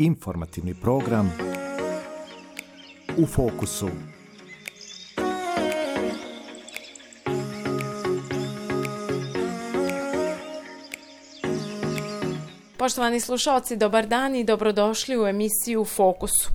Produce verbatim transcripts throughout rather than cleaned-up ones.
Informativni program U fokusu. Poštovani slušalci, dobar dan i dobrodošli u emisiju U fokusu.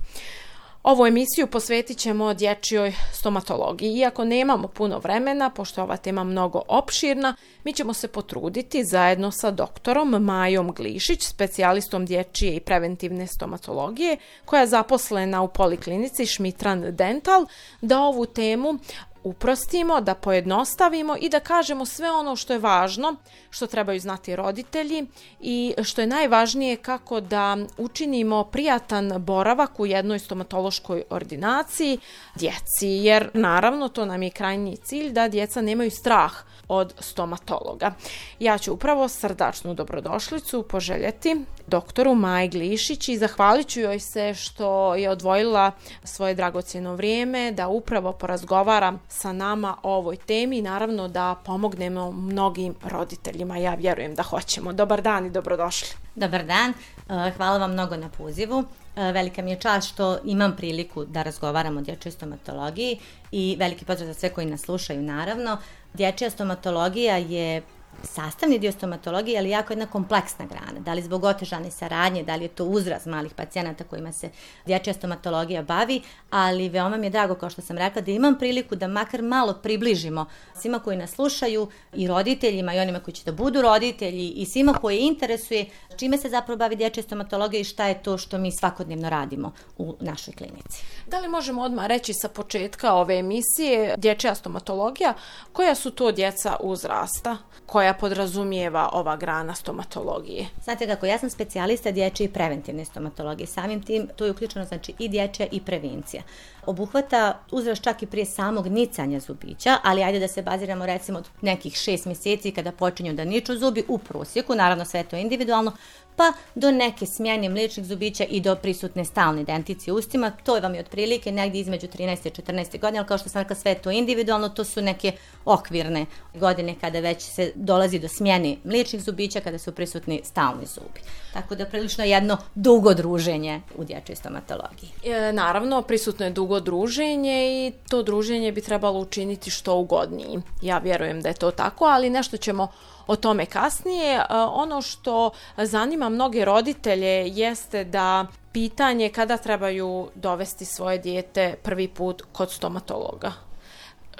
Ovu emisiju posvetit ćemo dječjoj stomatologiji. Iako nemamo puno vremena, pošto je ova tema mnogo opširna, mi ćemo se potruditi zajedno sa doktorom Majom Glišić, specijalistom dječje i preventivne stomatologije, koja je zaposlena u poliklinici Šmitran Dental, da ovu temu uprostimo, da pojednostavimo i da kažemo sve ono što je važno, što trebaju znati roditelji i što je najvažnije kako da učinimo prijatan boravak u jednoj stomatološkoj ordinaciji djeci, jer naravno to nam je krajnji cilj da djeca nemaju strah od stomatologa. Ja ću upravo srdačnu dobrodošlicu poželjeti doktoru Maji Glišić i zahvalit ću joj se što je odvojila svoje dragocjeno vrijeme da upravo porazgovara sa nama o ovoj temi i naravno da pomognemo mnogim roditeljima. Ja vjerujem da hoćemo. Dobar dan i dobrodošli. Dobar dan, hvala vam mnogo na pozivu. Velika mi je čast što imam priliku da razgovaram o dječjoj stomatologiji i veliki pozdrav za sve koji nas slušaju naravno. Dječja stomatologija je sastavni dio stomatologije, ali jako jedna kompleksna grana. Da li zbog otežane saradnje, da li je to uzrast malih pacijenata kojima se dječja stomatologija bavi, ali veoma mi je drago, kao što sam rekla, da imam priliku da makar malo približimo svima koji nas slušaju i roditeljima i onima koji će da budu roditelji i svima koji interesuje čime se zapravo bavi dječja stomatologija i šta je to što mi svakodnevno radimo u našoj klinici. Da li možemo odmah reći sa početka ove emisije dječja stomatologija, koja su to djeca uzrasta koja podrazumijeva ova grana stomatologije? Znate kako, ja sam specijalista dječje i preventivne stomatologije. Samim tim to je uključeno znači i dječja i prevencija. Obuhvata uzrast čak i prije samog nicanja zubića, ali ajde da se baziramo recimo od nekih šest mjeseci kada počinju da niču zubi u prosjeku, naravno sve to individualno, pa do neke smjene mliječnih zubića i do prisutne stalne denticije u ustima. To vam je otprilike negdje između trinaeste i četrnaeste godine, ali kao što sam rekla, sve to individualno, to su neke okvirne godine kada već se dolazi do smjene mliječnih zubića, kada su prisutni stalni zubi. Tako da prilično jedno dugo druženje u dječjoj stomatologiji. E, naravno, prisutno je dugo druženje i to druženje bi trebalo učiniti što ugodniji. Ja vjerujem da je to tako, ali nešto ćemo o tome kasnije. Ono što zanima mnoge roditelje jeste da pitanje kada trebaju dovesti svoje dijete prvi put kod stomatologa.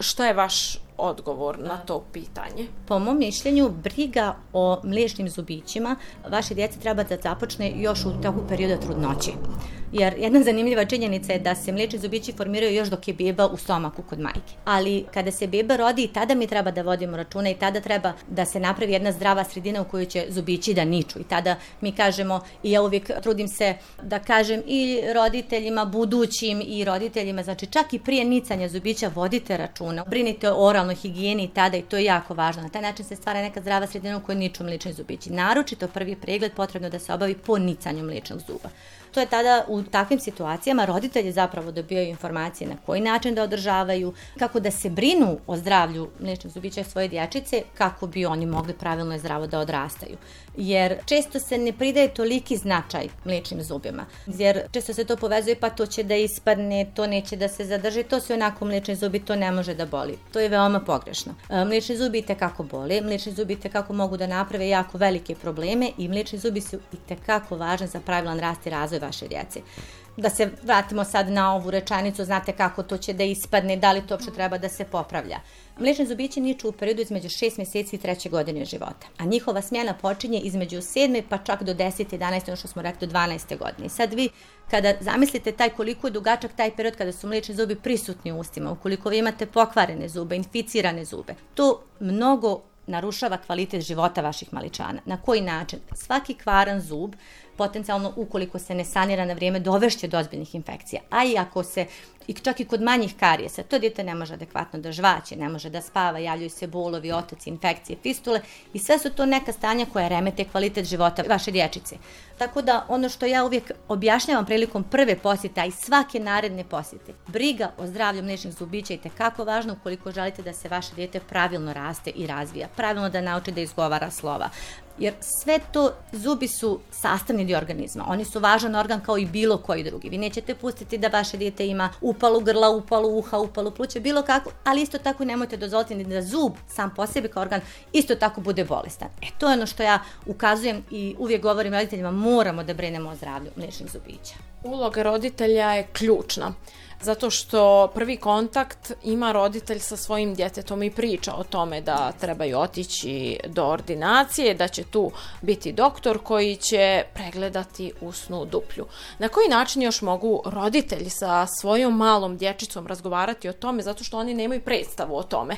Šta je vaš odgovor na to pitanje? Po mom mišljenju, briga o mliječnim zubićima vaše djece treba da započne još u toku perioda trudnoće. Jer jedna zanimljiva činjenica je da se mliječni zubići formiraju još dok je beba u stomaku kod majke. Ali kada se beba rodi, i tada mi treba da vodimo računa i tada treba da se napravi jedna zdrava sredina u kojoj će zubići da niču. I tada mi kažemo, i ja uvijek trudim se da kažem i roditeljima budućim i roditeljima, znači čak i prije nicanja zubića vodite računa, brinite o oralnoj higijeni i tada, i to je jako važno. Na taj način se stvara neka zdrava sredina u kojoj niču mliječni zubići. Naročito prvi pregled potrebno da se obavi po nicanju mliječnog zuba. To je tada u takvim situacijama roditelji zapravo dobijaju informacije na koji način da održavaju, kako da se brinu o zdravlju mliječnih zubića svoje dječice, kako bi oni mogli pravilno i zdravo da odrastaju. Jer često se ne pridaje toliki značaj mliječnim zubima. Jer često se to povezuje, pa to će da ispadne, to neće da se zadrži, to su onako mliječni zubi, to ne može da boli. To je veoma pogrešno. Mliječni zubi itekako boli, mliječni zubi itekako mogu da naprave jako velike probleme i mliječni zubi su itekako važni za pravilan rast i razvoj vaše djece. Da se vratimo sad na ovu rečenicu, znate kako to će da ispadne, da li to uopšte treba da se popravlja. Mliječni zubići niču u periodu između šest mjeseci i treće godine života, a njihova smjena počinje između sedme pa čak do desete, jedanaeste, ono što smo rekli do dvanaeste godine. Sad vi kada zamislite taj koliko je dugačak taj period kada su mliječni zubi prisutni u ustima, ukoliko vi imate pokvarene zube, inficirane zube, to mnogo narušava kvalitet života vaših maličana. Na koji način? Svaki kvaran zub potencijalno, ukoliko se ne sanira na vrijeme, dovešće do ozbiljnih infekcija. A i ako se, i čak i kod manjih karijesa, to dijete ne može adekvatno da žvaće, ne može da spava, javljaju se bolovi, otoci, infekcije, fistule i sve su to neka stanja koja remete kvalitet života vaše dječice. Tako da ono što ja uvijek objašnjavam prilikom prve posjete, a i svake naredne posjete, briga o zdravlju mliječnih zubića je itekako važno ukoliko želite da se vaše dijete pravilno raste i razvija, pravilno da nauči da izgovara slova. jer sve to, zubi su sastavni dio organizma. Oni su važan organ kao i bilo koji drugi. Vi nećete pustiti da vaše dijete ima upalu grla, upalu uha, upalu pluća, bilo kako, ali isto tako nemojte dozvoliti ni da zub sam po sebi kao organ isto tako bude bolestan. E to je ono što ja ukazujem i uvijek govorim roditeljima, moramo da brinemo o zdravlju mliječnih zubića. Uloga roditelja je ključna, zato što prvi kontakt ima roditelj sa svojim djetetom i priča o tome da trebaju otići do ordinacije, da će tu biti doktor koji će pregledati usnu duplju. Na koji način još mogu roditelji sa svojom malom dječicom razgovarati o tome, zato što oni nemaju predstavu o tome?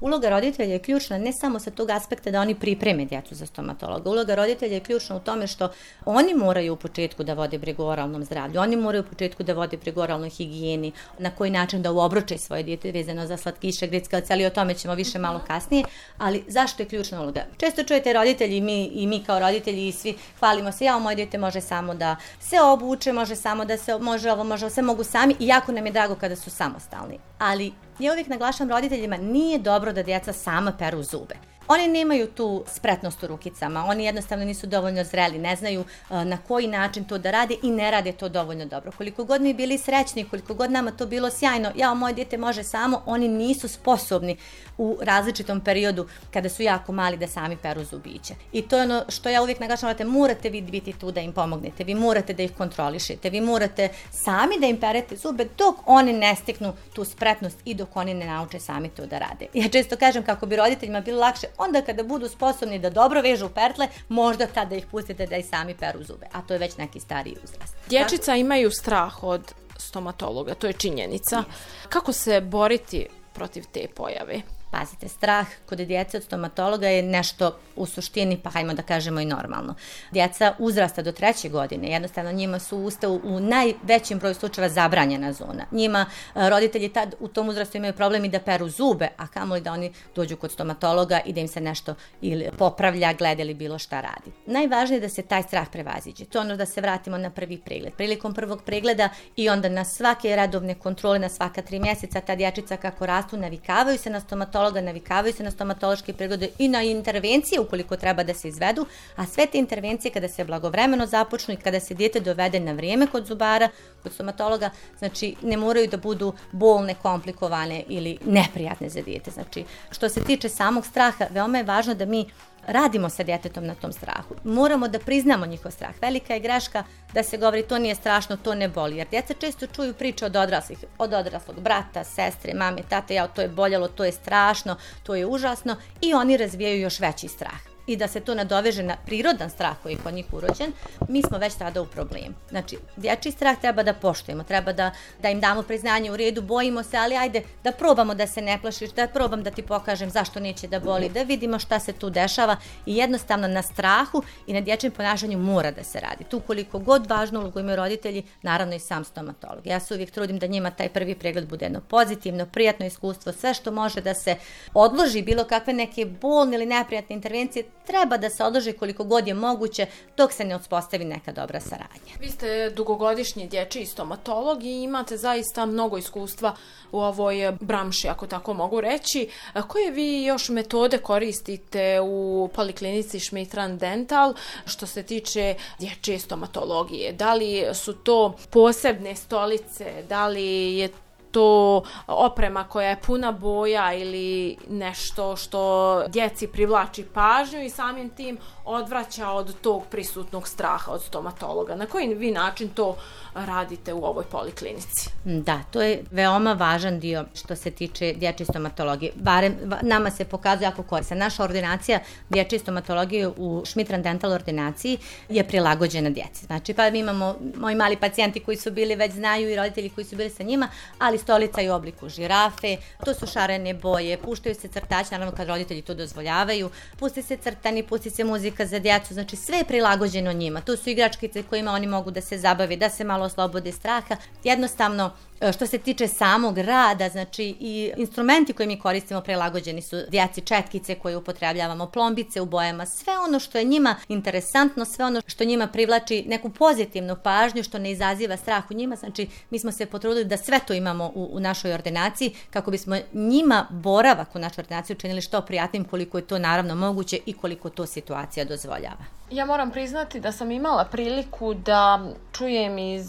Uloga roditelja je ključna ne samo sa tog aspekta da oni pripreme djecu za stomatologa. Uloga roditelja je ključna u tome što oni moraju u početku da vode brigu o oralnom zdravlju, oni moraju u početku da vode brigu o oralnoj higijeni, na koji način da uobruče svoje dijete vezano za slatkiše, grickalice, ali o tome ćemo više malo kasnije. Ali zašto je ključna uloga? Često čujete roditelji i mi, i mi kao roditelji i svi hvalimo se, ja moje dijete može samo da se obuče, može samo da se, može ovo, može, sve mogu sami i jako nam je drago kada su samostalni. Ali ja uvijek naglašavam roditeljima, nije dobro da djeca sama peru zube. Oni nemaju tu spretnost u rukicama, oni jednostavno nisu dovoljno zreli, ne znaju uh, na koji način to da rade i ne rade to dovoljno dobro. Koliko god mi bili srećni, koliko god nama to bilo sjajno, ja, moje dijete može samo, oni nisu sposobni u različitom periodu kada su jako mali da sami peru zubiće. I to je ono što ja uvijek naglašavam, morate vi biti tu da im pomognete, vi morate da ih kontrolišete, vi morate sami da im perete zube dok oni ne steknu tu spretnost i dok oni ne nauče sami to da rade. Ja često kažem kako bi roditeljima bilo lakše, onda kada budu sposobni da dobro vežu pertle, možda tada ih pustite da i sami peru zube, a to je već neki stariji uzrast. Dječica imaju strah od stomatologa, to je činjenica. Yes. Kako se boriti protiv te pojave? Pazite, strah kod djece od stomatologa je nešto u suštini, pa hajmo da kažemo i normalno. Djeca uzrasta do treće godine, jednostavno njima su usta u, u najvećem broju slučajeva zabranjena zona. Njima roditelji tad u tom uzrastu imaju problem i da peru zube, a kamoli da oni dođu kod stomatologa i da im se nešto ili popravlja, gleda ili bilo šta radi. Najvažnije je da se taj strah prevaziđe. To je ono da se vratimo na prvi pregled. Prilikom prvog pregleda i onda na svake redovne kontrole, na svaka tri mjeseca, ta dječica kako rastu, navikavaju se na stomatologa, navikavaju se na stomatološke preglede i na intervencije ukoliko treba da se izvedu, a sve te intervencije kada se blagovremeno započnu i kada se dijete dovede na vrijeme kod zubara, kod stomatologa, znači ne moraju da budu bolne, komplikovane ili neprijatne za dijete. Znači, što se tiče samog straha, veoma je važno da mi radimo sa djetetom na tom strahu. Moramo da priznamo njihov strah. Velika je greška da se govori to nije strašno, to ne boli. Jer djeca često čuju priče od odraslih, od odraslog brata, sestre, mame, tate, ja, to je boljelo, to je strašno, to je užasno i oni razvijaju još veći strah. I da se to nadoveže na prirodan strah koji je kod njih urođen, mi smo već tada u problemu. Znači, dječji strah treba da poštujemo, treba da, da im damo priznanje u redu, bojimo se, ali ajde da probamo da se ne plašiš, da probam da ti pokažem zašto neće da boli, da vidimo šta se tu dešava i jednostavno na strahu i na dječjem ponašanju mora da se radi. Tu koliko god važnu ulogu imaju roditelji, naravno i sam stomatolog. Ja se uvijek trudim da njima taj prvi pregled bude jedno pozitivno, prijatno iskustvo, sve što može da se odloži, bilo kakve neke bolne ili neprijatne intervencije, treba da se odloži koliko god je moguće dok se ne uspostavi neka dobra saradnja. Vi ste dugogodišnji dječji stomatolog i imate zaista mnogo iskustva u ovoj branši, ako tako mogu reći. Koje vi još metode koristite u poliklinici Schmidt-Rand Dental što se tiče dječje stomatologije? Da li su to posebne stolice, da li je to oprema koja je puna boja ili nešto što djeci privlači pažnju i samim tim odvraća od tog prisutnog straha od stomatologa? Na koji vi način to radite u ovoj poliklinici? Da, to je veoma važan dio što se tiče dječje stomatologije. Barem nama se pokazuje jako korisna. Naša ordinacija dječje stomatologije u Schmidt-Rand Dental ordinaciji je prilagođena djeci. Znači, pa mi imamo moji mali pacijenti koji su bili, već znaju i roditelji koji su bili sa njima, ali stolica je u obliku žirafe, to su šarene boje, puštaju se crtači, naravno kad roditelji to dozvoljavaju, pusti se crtani, pusti se muzika za djecu, znači sve je prilagođeno njima. To su igračkice kojima oni mogu da se zabave, da se malo oslobode straha. Jednostavno, što se tiče samog rada, znači i instrumenti koje mi koristimo prilagođeni su djeci, četkice koje upotrebljavamo, plombice u bojama, sve ono što je njima interesantno, sve ono što njima privlači neku pozitivnu pažnju, što ne izaziva strah u njima, znači mi smo se potrudili da sve to imamo u, u našoj ordinaciji, kako bismo njima boravak u našoj ordinaciji učinili što prijatnim, koliko je to naravno moguće i koliko to situacija dozvoljava. Ja moram priznati da sam imala priliku da čujem iz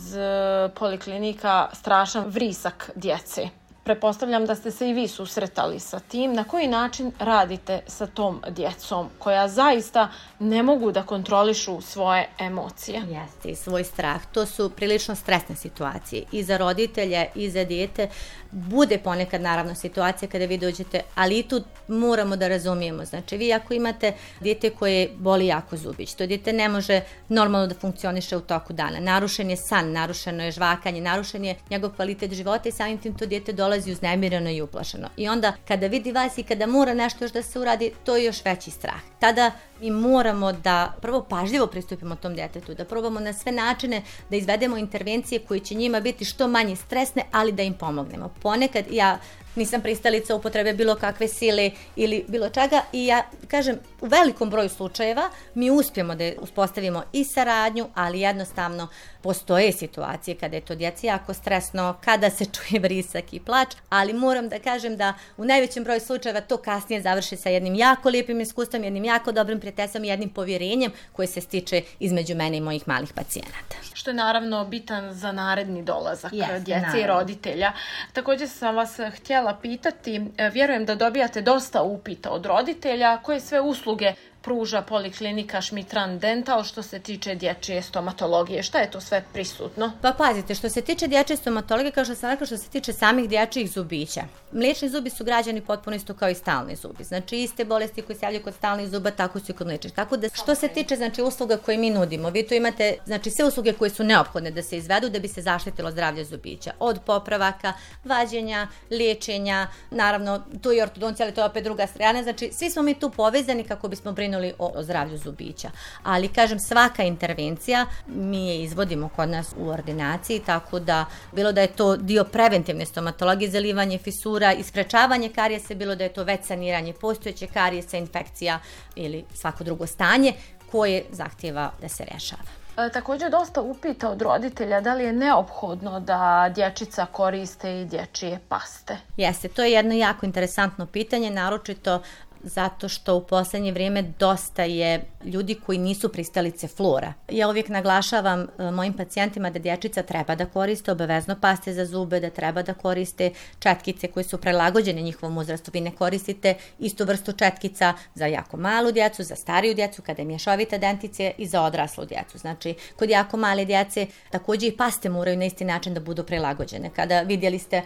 poliklinika strašan vrisak djece. Pretpostavljam da ste se i vi susretali sa tim. Na koji način radite sa tom djecom koja zaista ne mogu da kontrolišu svoje emocije? Jeste, i svoj strah. To su prilično stresne situacije i za roditelje i za dijete. Bude ponekad naravno situacija kada vi dođete, ali i tu moramo da razumijemo. Znači, vi ako imate dijete koje boli jako zubić, to dijete ne može normalno da funkcioniše u toku dana. Narušen je san, narušeno je žvakanje, narušen je njegov kvalitet života i samim tim to dijete dolazi uznemireno i uplašeno. I onda kada vidi vas i kada mora nešto još da se uradi, to je još veći strah. Tada mi moramo da prvo pažljivo pristupimo tom djetetu, da probamo na sve načine da izvedemo intervencije koje će njima biti što manje stresne, ali da im pomognemo. Ponekad ja nisam pristalica upotrebe bilo kakve sile ili bilo čega i ja kažem, u velikom broju slučajeva mi uspijemo da uspostavimo i saradnju, ali jednostavno postoje situacije kada je to djeci jako stresno, kada se čuje vrisak i plač, ali moram da kažem da u najvećem broju slučajeva to kasnije završi sa jednim jako lijepim iskustvom, jednim jako dobrim prijateljstvom i jednim povjerenjem koje se stiče između mene i mojih malih pacijenata. Što je naravno bitan za naredni dolazak Jeste, djece naravno. i roditelja. Također sam vas htjela pitati, vjerujem da dobijate dosta upita od roditelja, koje sve usluge pruža poliklinika Schmidt-Rand Dental što se tiče dječje stomatologije. Šta je to sve prisutno? Pa pazite, što se tiče dječje stomatologije, kao što sam rekla, što se tiče samih dječjih zubića, mliječni zubi su građani potpuno isto kao i stalni zubi. Znači, iste bolesti koje se javljaju kod stalnih zuba, tako su i kod mliječnih. Tako da, što se tiče znači, usluga koje mi nudimo, vi tu imate znači, sve usluge koje su neophodne da se izvedu da bi se zaštitilo zdravlje zubića. Od popravaka, vađenja, liječenja, naravno, tu i ortodoncija, ali to je opet druga strana. Znači, svi smo mi tu povezani kako bismo brinuli O, o zdravlju zubića. Ali, kažem, svaka intervencija mi je izvodimo kod nas u ordinaciji, tako da bilo da je to dio preventivne stomatologije, zalivanje fisura i sprečavanje karijesa, bilo da je to već saniranje postojeće karijesa, infekcija ili svako drugo stanje koje zahtijeva da se rješava. E, također dosta upita od roditelja da li je neophodno da dječica koriste i dječje paste. Jeste, to je jedno jako interesantno pitanje, naročito zato što u posljednje vrijeme dosta je ljudi koji nisu pristalice flora. Ja uvijek naglašavam e, mojim pacijentima da dječica treba da koriste obavezno paste za zube, da treba da koriste četkice koje su prilagođene njihovom uzrastu. Vi ne koristite istu vrstu četkica za jako malu djecu, za stariju djecu, kada je mješovita denticija i za odraslu djecu. Znači, kod jako male djece također i paste moraju na isti način da budu prilagođene. Kada vidjeli ste e,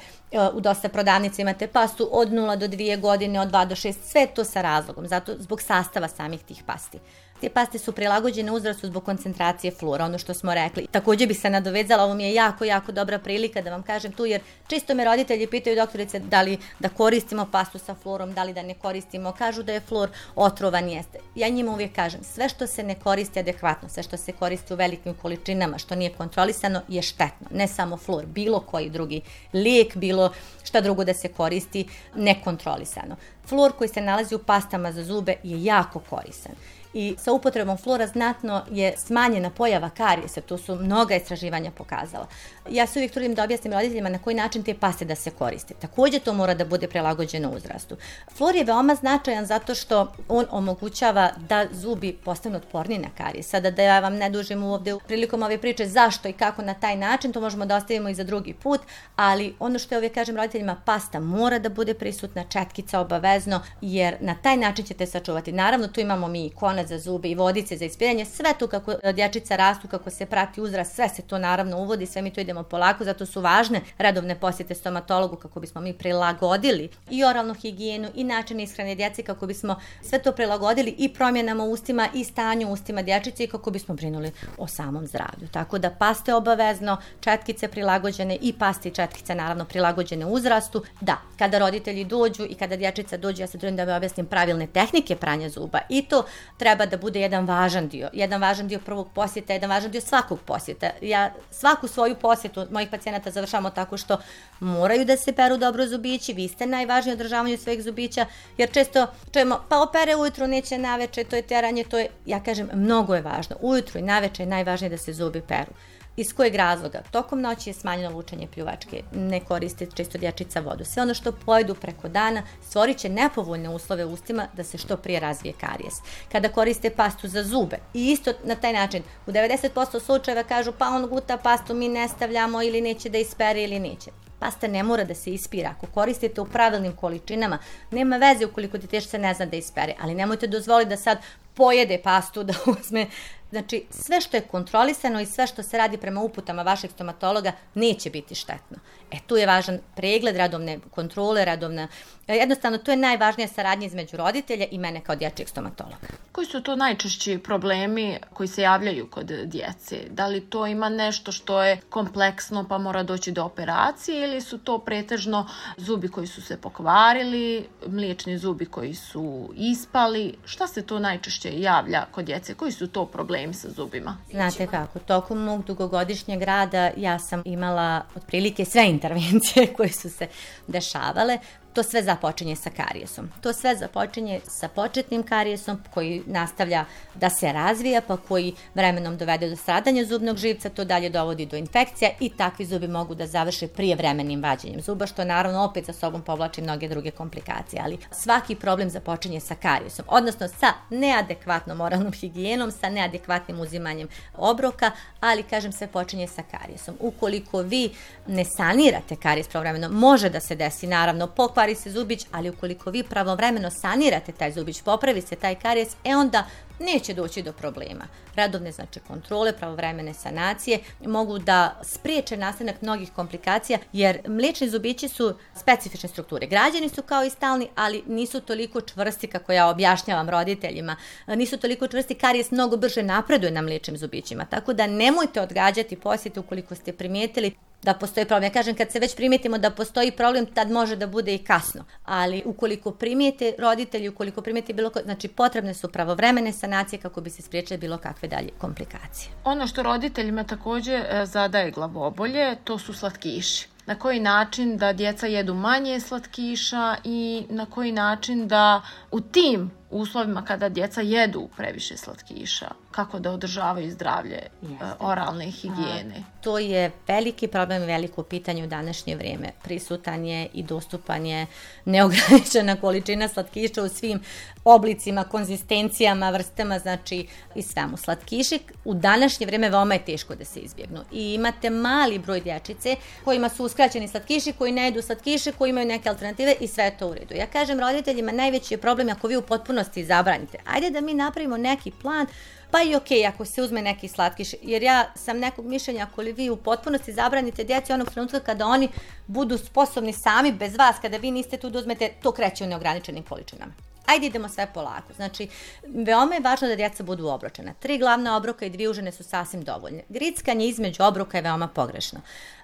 u dosta prodavnica imate pastu od nula do dvije godine, od dva do šest, sve to sa razlogom, zato zbog sastava samih tih pasti. Te paste su prilagođene uzrastu zbog koncentracije flora, ono što smo rekli. Također bi se nadovezala, ovo mi je jako, jako dobra prilika da vam kažem tu, jer često me roditelji pitaju doktorice da li da koristimo pastu sa florom, da li da ne koristimo, kažu da je flor otrovan, jeste. Ja njima uvijek kažem, sve što se ne koristi adekvatno, sve što se koristi u velikim količinama, što nije kontrolisano, je štetno. Ne samo flor, bilo koji drugi lijek, bilo šta drugo da se koristi nekontrolisano. Flor koji se nalazi u pastama za zube je jako koristan. I sa upotrebom flora znatno je smanjena pojava karijesa, to su mnoga istraživanja pokazala. Ja se uvijek trudim da objasnim roditeljima na koji način te paste da se koriste. Također to mora da bude prilagođeno uzrastu. Flor je veoma značajan zato što on omogućava da zubi postanu otporni na karijes. Sada da ja vam ne dužim ovdje prilikom ove priče zašto i kako na taj način, to možemo da ostavimo i za drugi put, ali ono što ja uvijek kažem roditeljima, pasta mora da bude prisutna, četkica obavezno, jer na taj način ćete sačuvati. Naravno, tu imamo mi i konac za zube i vodice za ispiranje, sve tu kako dječica rastu, kako se prati uzrast, sve se to naravno uvodi, sve mi to idemo polako, zato su važne redovne posjete stomatologu kako bismo mi prilagodili i oralnu higijenu i način ishrane djece, kako bismo sve to prilagodili i promjenama u ustima i stanju u ustima dječice i kako bismo brinuli o samom zdravlju. Tako da paste obavezno, četkice prilagođene i paste i četkice naravno prilagođene uzrastu. Da, kada roditelji dođu i kada dječica dođe, ja se trudim da vam objasnim pravilne tehnike pranja zuba i to treba da bude jedan važan dio, jedan važan dio prvog posjeta, jedan važan dio svakog posjeta. Ja svaku svoju posjetu mojih pacijenata završavamo tako što moraju da se peru dobro zubići, vi ste najvažniji u održavanju svojih zubića, jer često čujemo, pa opere ujutru, neće naveče, to je teranje, to je, ja kažem, mnogo je važno. Ujutru i naveče je najvažnije da se zubi peru. Iz kojeg razloga? Tokom noći je smanjeno lučenje pljuvačke, ne koriste često dječica vodu. Sve ono što pojedu preko dana stvorit će nepovoljne uslove u ustima da se što prije razvije karijes. Kada koriste pastu za zube i isto na taj način, u devedeset posto slučajeva kažu pa on guta pastu, mi ne stavljamo ili neće da ispere ili neće. Pasta ne mora da se ispira. Ako koristite u pravilnim količinama, nema veze ukoliko djetešce ne zna da ispere, ali nemojte dozvoliti da sad pojede pastu, da uzme. Znači, sve što je kontrolisano i sve što se radi prema uputama vašeg stomatologa neće biti štetno. E, tu je važan pregled, radovne kontrole, radovna... Jednostavno, tu je najvažnija saradnja između roditelja i mene kao dječjeg stomatologa. Koji su to najčešći problemi koji se javljaju kod djece? Da li to ima nešto što je kompleksno pa mora doći do operacije ili su to pretežno zubi koji su se pokvarili, mliječni zubi koji su ispali? Šta se to najčešće javlja kod djece? Koji su to problemi sa zubima? Znate kako, tokom mog dugogodišnjeg rada ja sam imala otprilike sve intervencije koje su se dešavale. To sve započinje sa karijesom. To sve započinje sa početnim karijesom koji nastavlja da se razvija, pa koji vremenom dovede do stradanja zubnog živca, to dalje dovodi do infekcija i takvi zubi mogu da završe prijevremenim vađenjem zuba, što naravno opet za sobom povlači mnoge druge komplikacije. Ali svaki problem započinje sa karijesom, odnosno sa neadekvatnom oralnom higijenom, sa neadekvatnim uzimanjem obroka, ali kažem sve počinje sa karijesom. Ukoliko vi ne sanirate karijes pravovremeno, može da se desi naravno pokvar se zubić, ali ukoliko vi pravovremeno sanirate taj zubić, popravi se taj karijes, e onda neće doći do problema. Radovne znači kontrole, pravovremene sanacije mogu da spriječe nastanak mnogih komplikacija, jer mliječni zubići su specifične strukture. Građeni su kao i stalni, ali nisu toliko čvrsti kako ja objašnjavam roditeljima. Nisu toliko čvrsti, karijes mnogo brže napreduje na mliječnim zubićima. Tako da nemojte odgađati posjete ukoliko ste primijetili da postoji problem. Ja kažem, kad se već primijetimo da postoji problem, tad može da bude i kasno. Ali ukoliko primijete roditelji, ukoliko primijete bilo ko, znači potrebne su pravovremene sanacije kako bi se spriječile bilo kakve dalje komplikacije. Ono što roditeljima također zadaje glavobolje, to su slatkiši. Na koji način da djeca jedu manje slatkiša i na koji način da u tim uslovima kada djeca jedu previše slatkiša, kako da održavaju zdravlje Jeste. oralne higijene. A, to je veliki problem i veliko pitanje u današnje vrijeme. Prisutan je i dostupan je neograničena količina slatkiša u svim oblicima, konzistencijama, vrstama, znači i svemu. Slatkiši u današnje vrijeme veoma je teško da se izbjegnu. I imate mali broj dječice kojima su uskraćeni slatkiši, koji ne jedu slatkiše, koji imaju neke alternative i sve je to u redu. Ja kažem roditeljima, najveći je problem ako vi u potpunosti zabranite. Ajde da mi napravimo neki plan, pa i ok, ako se uzme neki slatkiš, jer ja sam nekog mišljenja, ako li vi u potpunosti zabranite djeci onog trenutka kada oni budu sposobni sami bez vas, kada vi niste tu da uzmete, to kreće u neograničenim količinama. Ajde idemo sve polako. Znači, veoma je važno da djeca budu obročena. Tri glavna obroka i dvije užine su sasvim dovoljne. Grickanje između obroka je veoma pogrešno.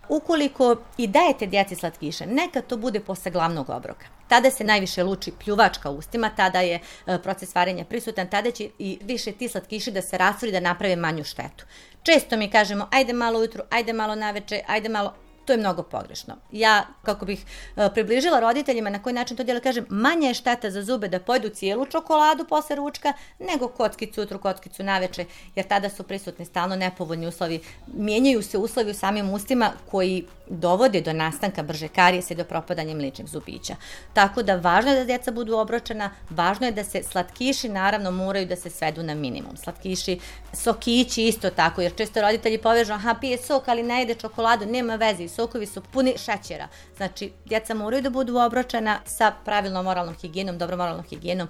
Ukoliko i dajete djeci slatkiše, neka to bude posle glavnog obroka. Tada se najviše luči pljuvačka u ustima, tada je e, proces varenja prisutan, tada će i više ti slatkiši da se rastvori, da naprave manju štetu. Često mi kažemo, ajde malo ujutru, ajde malo naveče, ajde malo... To je mnogo pogrešno. Ja, kako bih e, približila roditeljima na koji način to djelo, kažem, manje je šteta za zube da pojedu cijelu čokoladu posle ručka, nego kockicu jutru, kockicu naveče, jer tada su prisutni stalno nepovoljni uslovi. Mijenjaju se uslovi u samim ustima koji dovode do nastanka brže karijesa i do propadanja mliječnih zubića. Tako da važno je da djeca budu obročena, važno je da se slatkiši naravno moraju da se svedu na minimum. Slatkiši, sokići isto tako, jer često roditelji povežu, aha, pije sok, ali ne jede čokoladu, nema veze, sokovi su puni šećera. Znači, djeca moraju da budu obročena sa pravilnom oralnom higijenom, dobrom oralnom higijenom,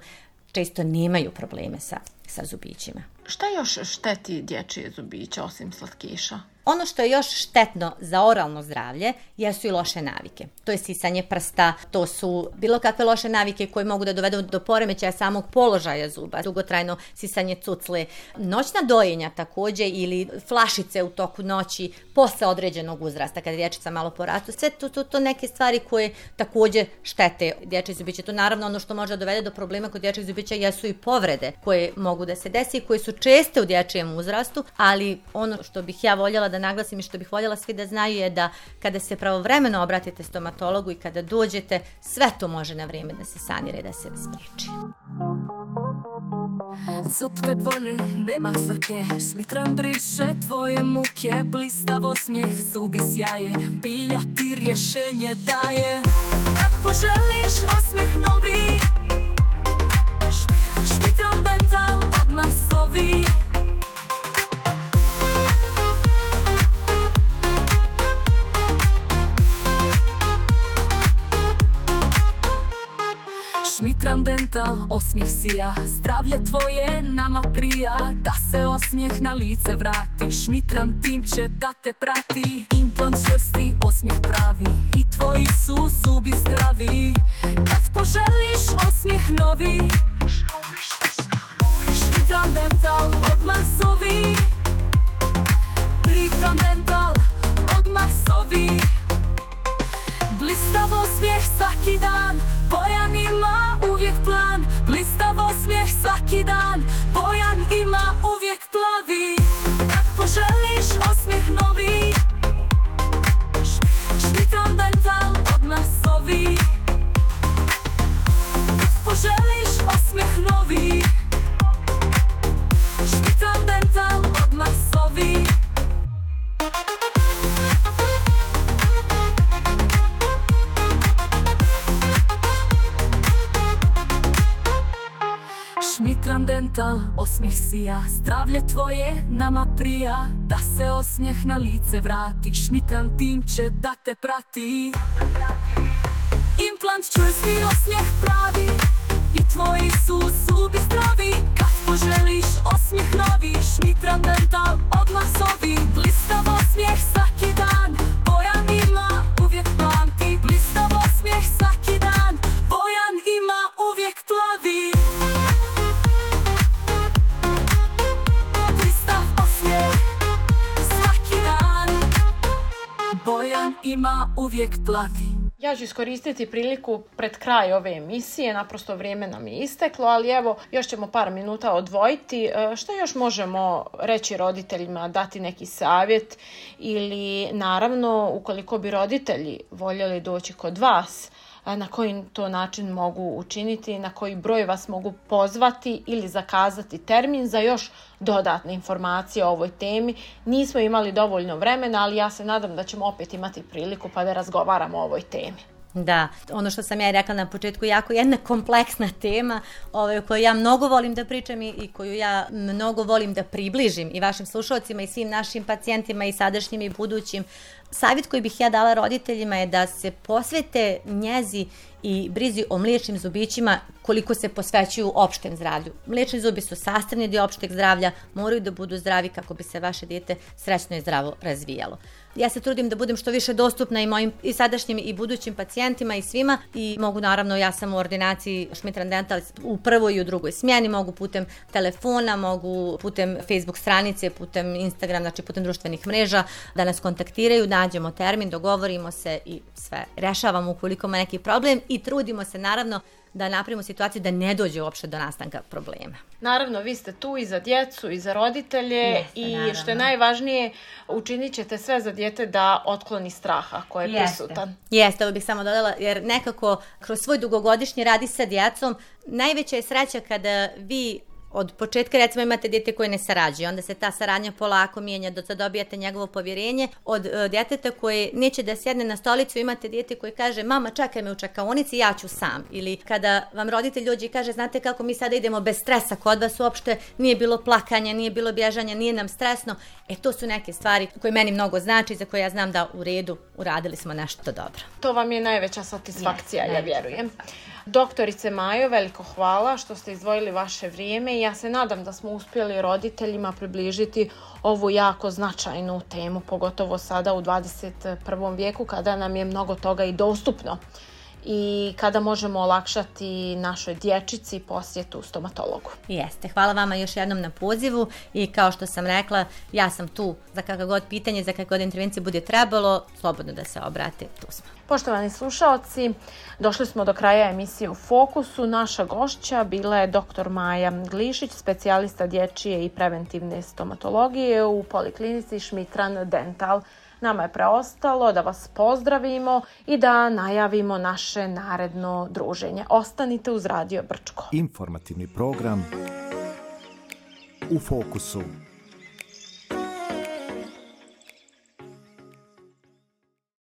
često nemaju probleme sa, sa zubićima. Šta još šteti dječje zubiće osim slatkiša? Ono što je još štetno za oralno zdravlje jesu i loše navike. To je sisanje prsta, to su bilo kakve loše navike koje mogu da dovedu do poremećaja samog položaja zuba, dugotrajno sisanje cucle, noćna dojenja također ili flašice u toku noći posle određenog uzrasta kada dječica malo porastu. Sve to, to, to neke stvari koje također štete dječje zubiće. To naravno ono što može dovede do problema kod dječjih zubića jesu i povrede koje mogu da se desi i koje su česte u dječjem uzrastu, ali ono što bih ja voljela da naglasim i što bih voljela svi da znaju je da kada se pravovremeno obratite stomatologu i kada dođete, sve to može na vrijeme da se sanira i da se spriječi. Zub kad voli, nema frke, Smitran briše tvoje muke, blistav osmijeh, zubi sjaje, pilja ti rješenje daje. Kad poželiš osmijeh novi, Smitran Dental odmah zovi. Smitran Dental, osmijeh sija, zdravlje tvoje nama prija, da se osmijeh na lice vrati, Smitran tim će da te prati. Implant čvrsti, osmijeh pravi, i tvoji su zubi zdravi. Kad poželiš osmijeh novi, Smitran Dental odmah zovi. Smitran Dental odmah zovi. Blistav osmijeh svaki dan, Bojan ima uvijek plan. Blistav osmijeh svaki dan, Bojan ima uvijek plavi. Kad poželiš osmijeh novi, Smitran Dental odmah zovi. Kad poželiš osmijeh novi, Smitran Dental odmah zovi. Smitran Dental, osmijeh sija, zdravlje tvoje nama prija, da se osmijeh na lice vrati, Smitran tim će da te prati. Implant čvrsti, osmijeh pravi, i tvoji su zubi zdravi. Kad poželiš osmijeh novi, Smitran Dental odmah zovi. Blistav osmijeh svaki dan, Bojan ima uvijek plan. Ti blistav osmijeh svaki dan, Bojan ima uvijek plavi. Bojan ima uvijek plavi. Ja ću iskoristiti priliku pred kraj ove emisije, naprosto vrijeme nam je isteklo, ali evo, još ćemo par minuta odvojiti. Što još možemo reći roditeljima, dati neki savjet ili naravno, ukoliko bi roditelji voljeli doći kod vas, na koji to način mogu učiniti, na koji broj vas mogu pozvati ili zakazati termin za još dodatne informacije o ovoj temi. Nismo imali dovoljno vremena, ali ja se nadam da ćemo opet imati priliku pa da razgovaramo o ovoj temi. Da, ono što sam ja rekla na početku, jako jedna kompleksna tema ovaj, o kojoj ja mnogo volim da pričam i, i koju ja mnogo volim da približim i vašim slušalcima i svim našim pacijentima i sadašnjim i budućim. Savjet koji bih ja dala roditeljima je da se posvete njezi i brizi o mliječnim zubićima koliko se posvećuju opštem zdravlju. Mliječni zubi su sastavni dio opšteg zdravlja, moraju da budu zdravi kako bi se vaše dijete srećno i zdravo razvijalo. Ja se trudim da budem što više dostupna i mojim i sadašnjim i budućim pacijentima i svima i mogu naravno, ja sam u ordinaciji Smitran Dental u prvoj i u drugoj smjeni, mogu putem telefona, mogu putem Facebook stranice, putem Instagram, znači putem društvenih mreža da nas kontaktiraju, nađemo termin, dogovorimo se i sve rešavamo ukoliko ima neki problem i trudimo se naravno da napravimo situaciju da ne dođe uopšte do nastanka problema. Naravno, vi ste tu i za djecu i za roditelje. Jeste, i naravno. Što je najvažnije, učinit ćete sve za dijete da otkloni straha koji je Jeste. prisutan. Jeste, ovo bih samo dodala, jer nekako kroz svoj dugogodišnji radi sa djecom, najveća je sreća kada vi od početka recimo imate dijete koje ne sarađuje, onda se ta saradnja polako mijenja dok dobijate njegovo povjerenje. Od uh, djeteta koje neće da sjedne na stolicu, imate dijete koje kaže mama čekaj me u čekaonici, ja ću sam. Ili kada vam roditelj dođe i kaže znate kako mi sada idemo bez stresa, kod vas uopšte nije bilo plakanja, nije bilo bježanja, nije nam stresno. E to su neke stvari koje meni mnogo znači, za koje ja znam da u redu uradili smo nešto dobro. To vam je najveća satisfakcija, yes, ja vjerujem. Doktorice Majo, veliko hvala što ste izdvojili vaše vrijeme i ja se nadam da smo uspjeli roditeljima približiti ovu jako značajnu temu, pogotovo sada u dvadeset prvom vijeku kada nam je mnogo toga i dostupno i kada možemo olakšati našoj dječici posjetu stomatologu. Jeste, hvala vama još jednom na pozivu i kao što sam rekla, ja sam tu za kakva god pitanje, za kakva god intervencija bude trebalo, slobodno da se obrate, tu smo. Poštovani slušaoci, došli smo do kraja emisije U fokusu. Naša gošća bila je doktor Maja Glišić, specijalista dječje i preventivne stomatologije u poliklinici Smitran Dental. Nama je preostalo da vas pozdravimo i da najavimo naše naredno druženje. Ostanite uz Radio Brčko. Informativni program U fokusu.